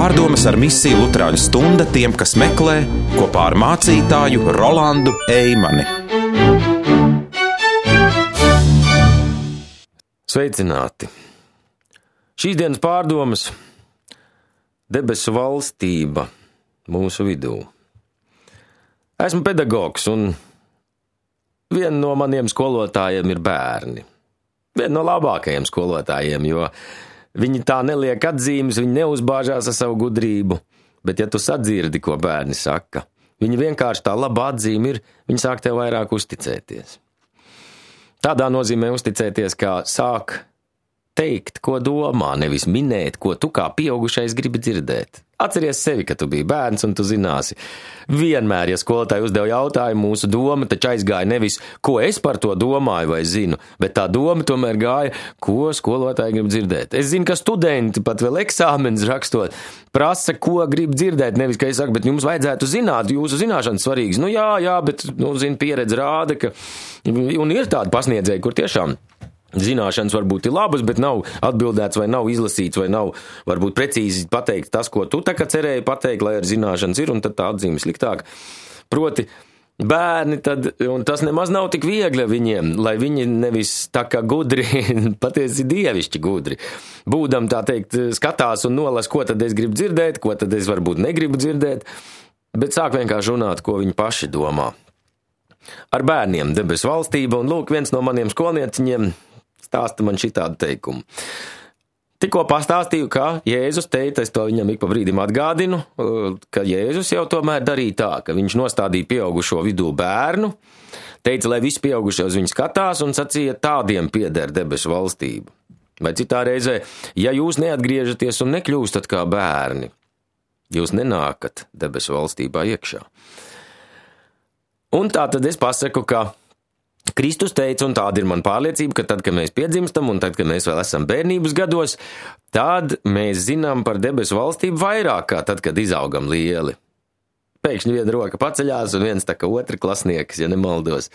Pārdomas ar misiju Luterāņu stunda tiem, kas meklē, kopā ar mācītāju Rolandu Eimani. Sveicināti! Šīs dienas pārdomas – debesu valstība mūsu vidū. Esmu pedagogs un viena no maniem skolotājiem ir bērni. Viena no labākajiem skolotājiem, jo viņi tā neliek atzīmes, viņi neuzbāžās ar savu gudrību, bet ja tu sadzirdi, ko bērni saka, viņi vienkārši tā laba atzīme ir, viņi sāk tev vairāk uzticēties. Tādā nozīmē uzticēties, kā sāk teikt, ko domā, nevis minēt, ko tu kā pieaugušais gribi dzirdēt. Atceries sevi, ka tu biji bērns un tu zināsi. Vienmēr, ja skolotāji uzdev jautājumu, mūsu doma taču aizgāja nevis, ko es par to domāju vai zinu, bet tā doma tomēr gāja, ko skolotāji grib dzirdēt. Es zinu, ka studenti pat vēl eksāmenes rakstot prasa, ko grib dzirdēt, nevis, ka es saku, bet jums vajadzētu zināt, jūsu zināšanas svarīgas. Jā, bet, pieredze rāda, ka, un ir tādi pasniedzēji, kur tiešām zināšanas varbūt ir labas, bet nav atbildēts vai nav izlasīts vai nav varbūt precīzi pateikt tas, ko tu tā kā cerēji pateikt, lai ar zināšanas ir, un tad tā atzīme sliktāk. Proti, bērni tad, un tas nemaz nav tik viegli viņiem, lai viņi nevis tā kā gudri, patiesi dievišķi gudri, būdam tā teikt, skatās un nolas, ko tad es gribu dzirdēt, ko tad es varbūt negribu dzirdēt, bet sāk vienkārši runāt, ko viņi paši domā. Ar bērniem debesu valstība, un lūk, viens no maniem skolnieciņiem stāsta man šitādu teikumu. Tikko pastāstīju, ka Jēzus teica, es to viņam ik pa brīdim atgādinu, ka Jēzus jau tomēr darīja tā, ka viņš nostādīja pieaugušo vidū bērnu, teica, lai visi pieaugušie uz viņu skatās un sacīja, tādiem pieder debesu valstību. Vai citā reizē, ja jūs neatgriežaties un nekļūstat kā bērni, jūs nenākat debesu valstībā iekšā. Un tā tad es pasaku, ka Kristus teica, un tāda ir man pārliecība, ka tad, kad mēs piedzimstam un tad, kad mēs vēl esam bērnības gados, tad mēs zinām par debesu valstību vairāk kā tad, kad izaugam lieli. Pēkšņi viena roka paceļās un viens tā kā otra klasnieks, ja nemaldos.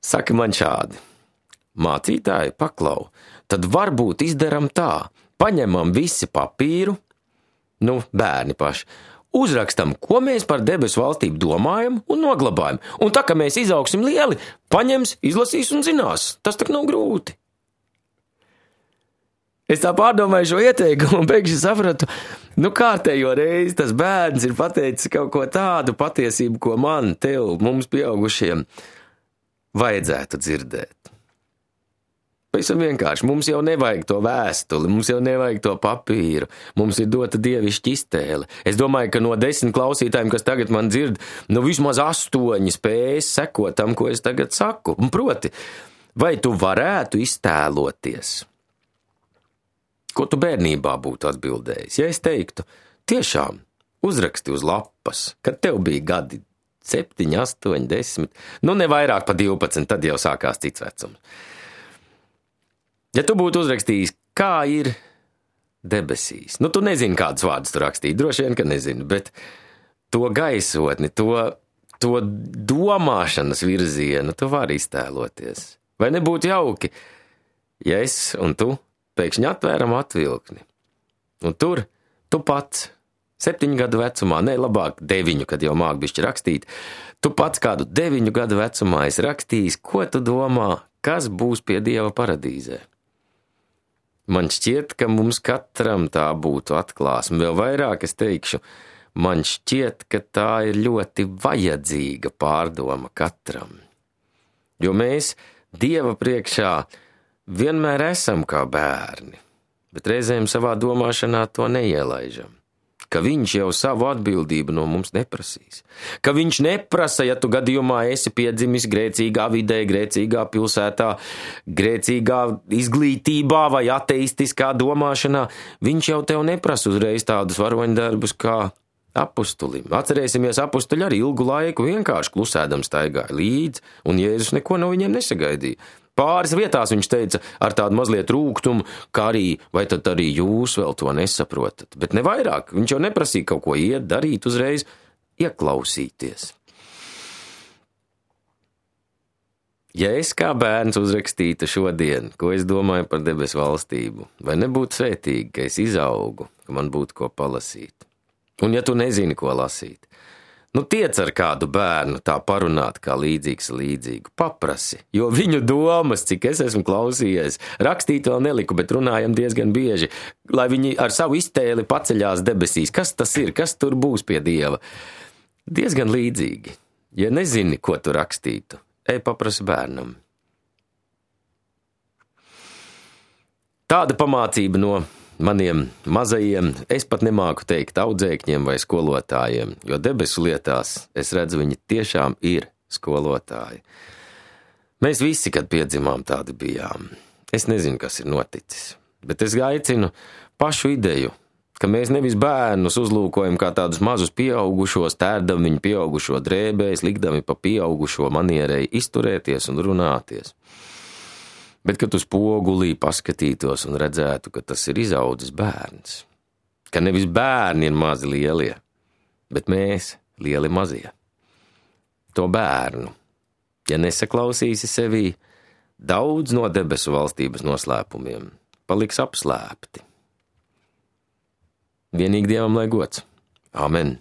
Saka man šādi: mācītāji, paklau, tad varbūt izdaram tā, paņemam visi papīru, bērni paši, uzrakstam, ko mēs par debesu valstību domājam un noglabājam. Un tā, ka mēs izaugsim lieli, paņems, izlasīs un zinās. Tas tak nav grūti. Es tā pārdomāju šo ieteikumu un pēkšņi sapratu, kārtējo reizi tas bērns ir pateicis kaut ko tādu patiesību, ko man, tev, mums pieaugušiem vajadzētu dzirdēt. Pavisam vienkārši, mums jau nevajag to vēstuli, mums jau nevajag to papīru, mums ir dota dievišķa iztēle. Es domāju, ka no 10 klausītājiem, kas tagad man dzird, vismaz 8 spējas sekot tam, ko es tagad saku. Un proti, vai tu varētu iztēloties, ko tu bērnībā būtu atbildējis? Ja es teiktu, tiešām uzraksti uz lapas, kad tev bija gadi 7, 8, 10, ne vairāk pa 12, tad jau sākās cits vecums. Ja tu būtu uzrakstījis, kā ir debesīs, tu nezini, kādus vārdus tu rakstīji, droši vien, ka nezini, bet to gaisotni, to domāšanas virzienu tu vari iztēloties. Vai nebūtu jauki, ja es un tu pēkšņi atvēram atvilkni, un tur tu pats 7 gadu vecumā, labāk 9, kad jau māk bišķi rakstīt, tu pats kādu 9 gadu vecumā esi rakstījis, ko tu domā, kas būs pie Dieva paradīzē. Man šķiet, ka mums katram tā būtu atklāsme. Vēl vairāk es teikšu, man šķiet, ka tā ir ļoti vajadzīga pārdoma katram. Jo mēs Dieva priekšā vienmēr esam kā bērni, bet reizēm savā domāšanā to neielaižam. Ka viņš jau savu atbildību no mums neprasīs. Ka viņš neprasa, ja tu gadījumā esi piedzimis grēcīgā vidē, grēcīgā pilsētā, grēcīgā izglītībā vai ateistiskā domāšanā, viņš jau tev neprasa uzreiz tādus varoņdarbus kā apustulim. Atcerēsimies, apustuļi arī ilgu laiku vienkārši klusēdam staigāja līdzi, un Jēzus neko no viņiem nesagaidīja. Pāris vietās viņš teica ar tādu mazliet rūgtumu, ka arī, vai tad arī jūs vēl to nesaprotat. Bet ne vairāk, viņš jau neprasīja kaut ko iet, darīt uzreiz, ieklausīties. Ja es kā bērns uzrakstītu šodien, ko es domāju par debesu valstību, vai nebūtu svētīgi, ka es izaugu, ka man būtu ko palasīt? Un ja tu nezini, ko lasīt, tiec ar kādu bērnu tā parunāt kā līdzīgs līdzīgu, paprasi, jo viņu domas, cik es esmu klausījies, rakstīt vēl neliku, bet runājam diezgan bieži, lai viņi ar savu iztēli paceļās debesīs. Kas tas ir, kas tur būs pie Dieva? Diezgan līdzīgi. Ja nezini, ko tu rakstītu, ej paprasi bērnam. Tāda pamācība no maniem mazajiem, es pat nemāku teikt audzēkņiem vai skolotājiem, jo debesu lietās es redzu, viņi tiešām ir skolotāji. Mēs visi, kad piedzimām, tādi bijām. Es nezinu, kas ir noticis, bet es aicinu pašu ideju, ka mēs nevis bērnus uzlūkojam kā tādus mazus pieaugušos, tērdam viņu pieaugušo drēbēs, likdami pa pieaugušo manierei izturēties un runāties. Bet, kad uz spogulī paskatītos un redzētu, ka tas ir izaudzis bērns, ka nevis bērni ir mazi lielie, bet mēs lieli mazie. To bērnu, ja nesaklausīsi sevī, daudz no debesu valstības noslēpumiem paliks apslēpti. Vienīgi Dievam lai gods. Amen.